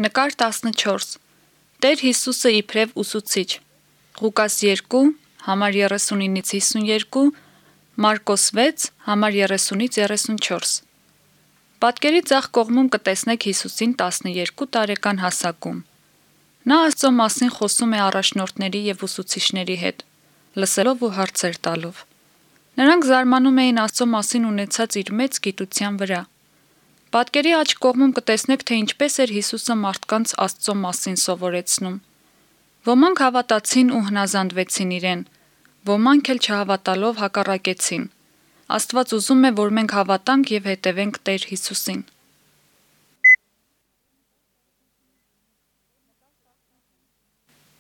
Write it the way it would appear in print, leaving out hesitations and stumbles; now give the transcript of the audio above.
Նկար 14 Տեր Հիսուսը իբրև ուսուցիչ Ղուկաս 2, համար 39-52, Մարկոս 6, համար 30-34 Պատկերի ձախ կողմում կտեսնեք Հիսուսին 12 տարեկան հասակում։ Նա Աստծո մասին խոսում է առաջնորդների և ուսուցիչների հետ, լսելով ու հարցեր տալով։ Նրանք զարմանում էին Աստծո մասին ունեցած իր մեծ գիտության վրա։ Պատկերի աջ կողմում կտեսնեք, թե ինչպես էր Հիսուսը մարդկանց Աստծո մասին սովորեցնում։ Ոմանք հավատացին ու հնազանդվեցին իրեն, ոմանք էլ չհավատալով հակառակեցին։ Աստված ուզում է, որ մենք հավատանք և հետևենք Տեր Հիսուսին։